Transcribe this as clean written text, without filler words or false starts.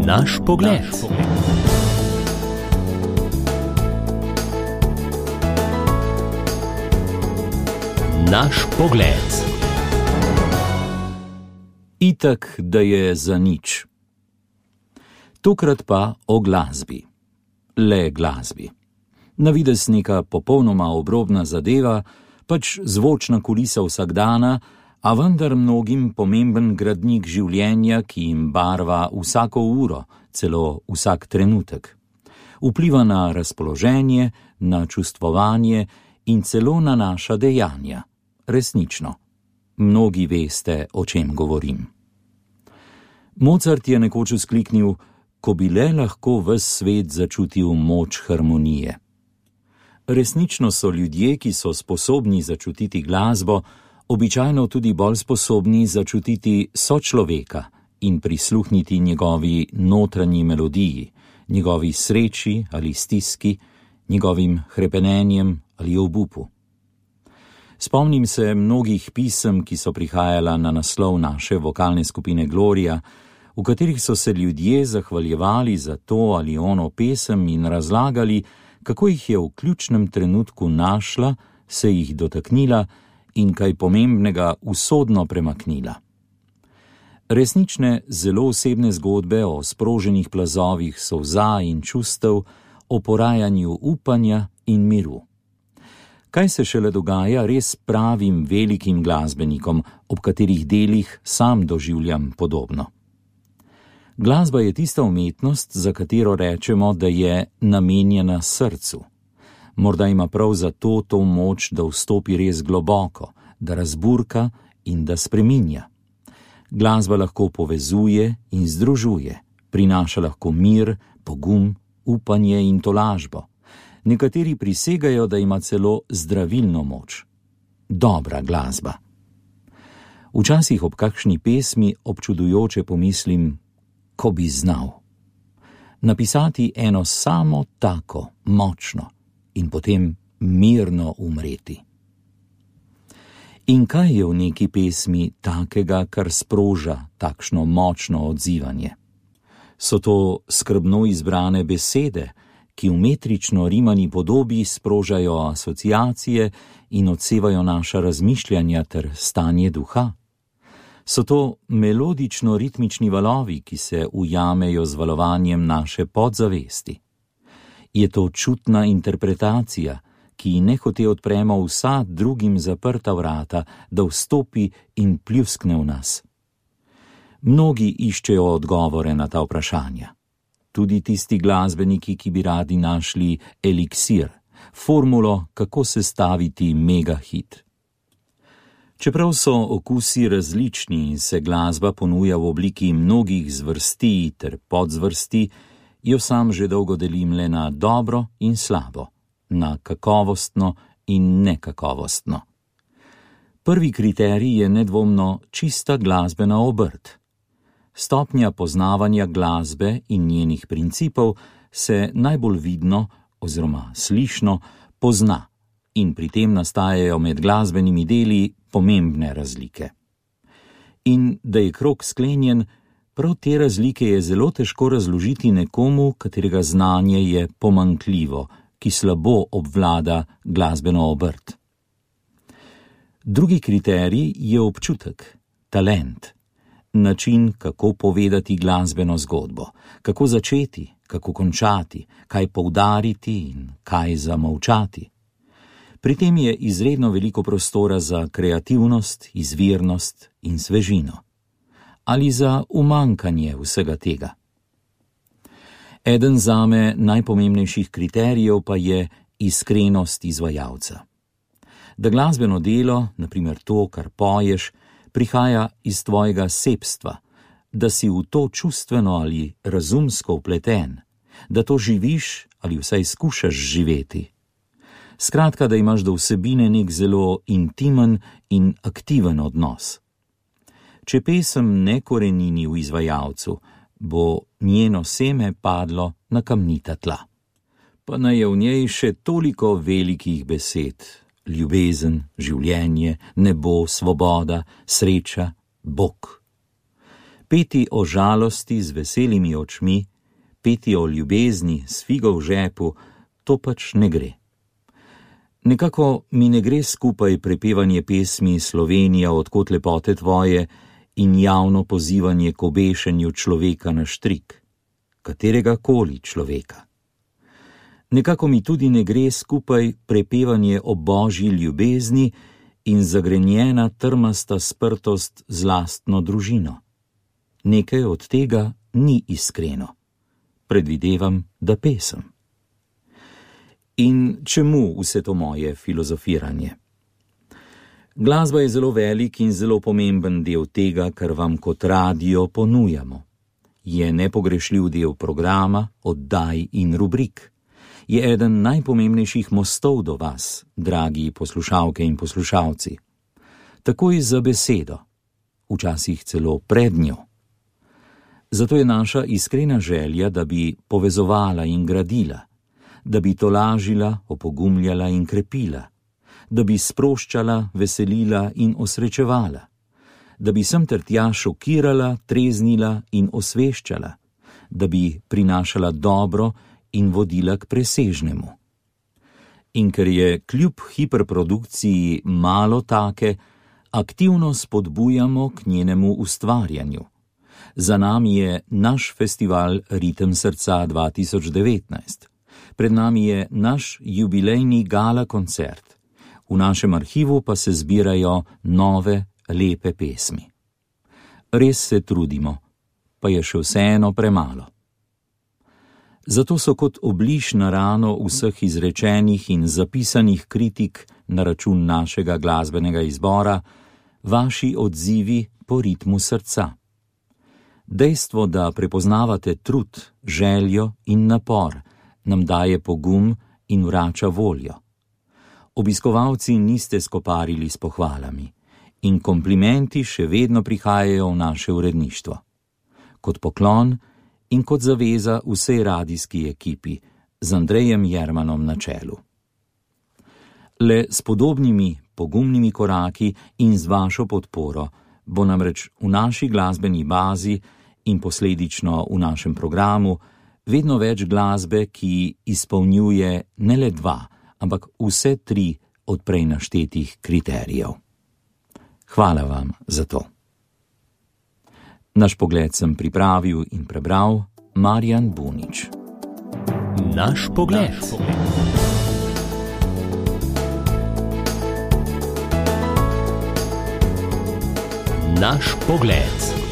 Naš pogled. Naš pogled. Itak, da je za nič. Tokrat pa o glasbi. Le glasbi. Na videz neka popolnoma obrobna zadeva, pač zvočna kulisa vsakdana, a vendar mnogim pomemben gradnik življenja, ki jim barva vsako uro, celo vsak trenutek. Vpliva na razpoloženje, na čustvovanje in celo na naša dejanja. Resnično. Mnogi veste, o čem govorim. Mozart je nekoč vzkliknil, ko bi le lahko ves svet začutil moč harmonije. Resnično so ljudje, ki so sposobni začutiti glasbo, običajno tudi bolj sposobni začutiti sočloveka in prisluhniti njegovi notranji melodiji, njegovi sreči ali stiski, njegovim hrepenenjem ali obupu. Spomnim se mnogih pisem, ki so prihajala na naslov naše vokalne skupine Gloria, v katerih so se ljudje zahvaljevali za to ali ono pesem in razlagali, kako jih je v ključnem trenutku našla, se jih dotaknila in kaj pomembnega usodno premaknila. Resnične, zelo osebne zgodbe o sproženih plazovih solza in čustev, o porajanju upanja in miru. Kaj se šele dogaja res pravim velikim glasbenikom, ob katerih delih sam doživljam podobno. Glasba je tista umetnost, za katero rečemo, da je namenjena srcu. Morda ima prav zato to moč, da vstopi res globoko, da razburka in da spreminja. Glasba lahko povezuje in združuje, prinaša lahko mir, pogum, upanje in tolažbo. Nekateri prisegajo, da ima celo zdravilno moč. Dobra glasba. Včasih ob kakšni pesmi občudujoče pomislim, ko bi znal. Napisati eno samo tako, močno, in potem mirno umreti. In kaj je v neki pesmi takega, kar sproža takšno močno odzivanje? So to skrbno izbrane besede, ki v metrično rimani podobi sprožajo asociacije in odsevajo naša razmišljanja ter stanje duha? So to melodično-ritmični valovi, ki se ujamejo z valovanjem naše podzavesti? Je to čutna interpretacija, ki nehote odpremo vsa drugim zaprta vrata, da vstopi in pljuskne v nas? Mnogi iščejo odgovore na ta vprašanja. Tudi tisti glasbeniki, ki bi radi našli eliksir, formulo, kako sestaviti megahit. Čeprav so okusi različni in se glasba ponuja v obliki mnogih zvrsti ter podzvrsti, jo sam že dolgo delim le na dobro in slabo, na kakovostno in nekakovostno. Prvi kriterij je nedvomno čista glasbena obrt. Stopnja poznavanja glasbe in njenih principov se najbolj vidno oziroma slišno pozna in pri tem nastajajo med glasbenimi deli pomembne razlike. In da je krog sklenjen, prav te razlike je zelo težko razložiti nekomu, katerega znanje je pomanjkljivo, ki slabo obvlada glasbeno obrt. Drugi kriterij je občutek, talent, način, kako povedati glasbeno zgodbo, kako začeti, kako končati, kaj poudariti in kaj zamolčati. Pri tem je izredno veliko prostora za kreativnost, izvirnost in svežino. Ali za umanjkanje vsega tega. Eden zame najpomembnejših kriterijev pa je iskrenost izvajalca. Da glasbeno delo, na primer to, kar poješ, prihaja iz tvojega sebstva, da si v to čustveno ali razumsko vpleten, da to živiš ali vsaj skušaš živeti. Skratka, da imaš do vsebine nek zelo intimen in aktiven odnos. Če pesem ne korenini v izvajalcu, bo njeno seme padlo na kamnita tla. Pa naj je v njej še toliko velikih besed, ljubezen, življenje, nebo, svoboda, sreča, Bog. Peti o žalosti z veselimi očmi, peti o ljubezni s figo v žepu, to pač ne gre. Nekako mi ne gre skupaj prepevanje pesmi Slovenija, odkot lepote tvoje in javno pozivanje k obešenju človeka na štrik, katerega koli človeka. Nekako mi tudi ne gre skupaj prepevanje o božji ljubezni in zagrenjena trmasta sprtost z lastno družino. Nekaj od tega ni iskreno. Predvidevam, da pesem. In čemu vse to moje filozofiranje? Glasba je zelo velik in zelo pomemben del tega, kar vam kot radio ponujamo. Je nepogrešljiv del programa, oddaj in rubrik. Je eden najpomembnejših mostov do vas, dragi poslušalke in poslušalci. Takoj za besedo, včasih celo pred njo. Zato je naša iskrena želja, da bi povezovala in gradila, da bi tolažila, opogumljala in krepila, da bi sproščala, veselila in osrečevala, da bi sem ter tja šokirala, treznila in osveščala, da bi prinašala dobro in vodila k presežnemu. In ker je kljub hiperprodukciji malo take, aktivno spodbujamo k njenemu ustvarjanju. Za nami je naš festival Ritem srca 2019. Pred nami je naš jubilejni gala koncert. V našem arhivu pa se zbirajo nove, lepe pesmi. Res se trudimo, pa je še vseeno premalo. Zato so kot obliž na rano vseh izrečenih in zapisanih kritik na račun našega glasbenega izbora vaši odzivi po ritmu srca. Dejstvo, da prepoznavate trud, željo in napor, nam daje pogum in vrača voljo. Obiskovalci niste skoparili s pohvalami in komplimenti še vedno prihajajo v naše uredništvo. Kot poklon in kot zaveza vsej radijski ekipi z Andrejem Jermanom na čelu. Le s podobnimi pogumnimi koraki in z vašo podporo bo namreč v naši glasbeni bazi in posledično v našem programu vedno več glasbe, ki izpolnjuje ne le 2, ampak vse 3 od prej naštetih kriterijev. Hvala vam za to. Naš pogled sem pripravil in prebral Marjan Bunič. Naš pogled. Naš pogled.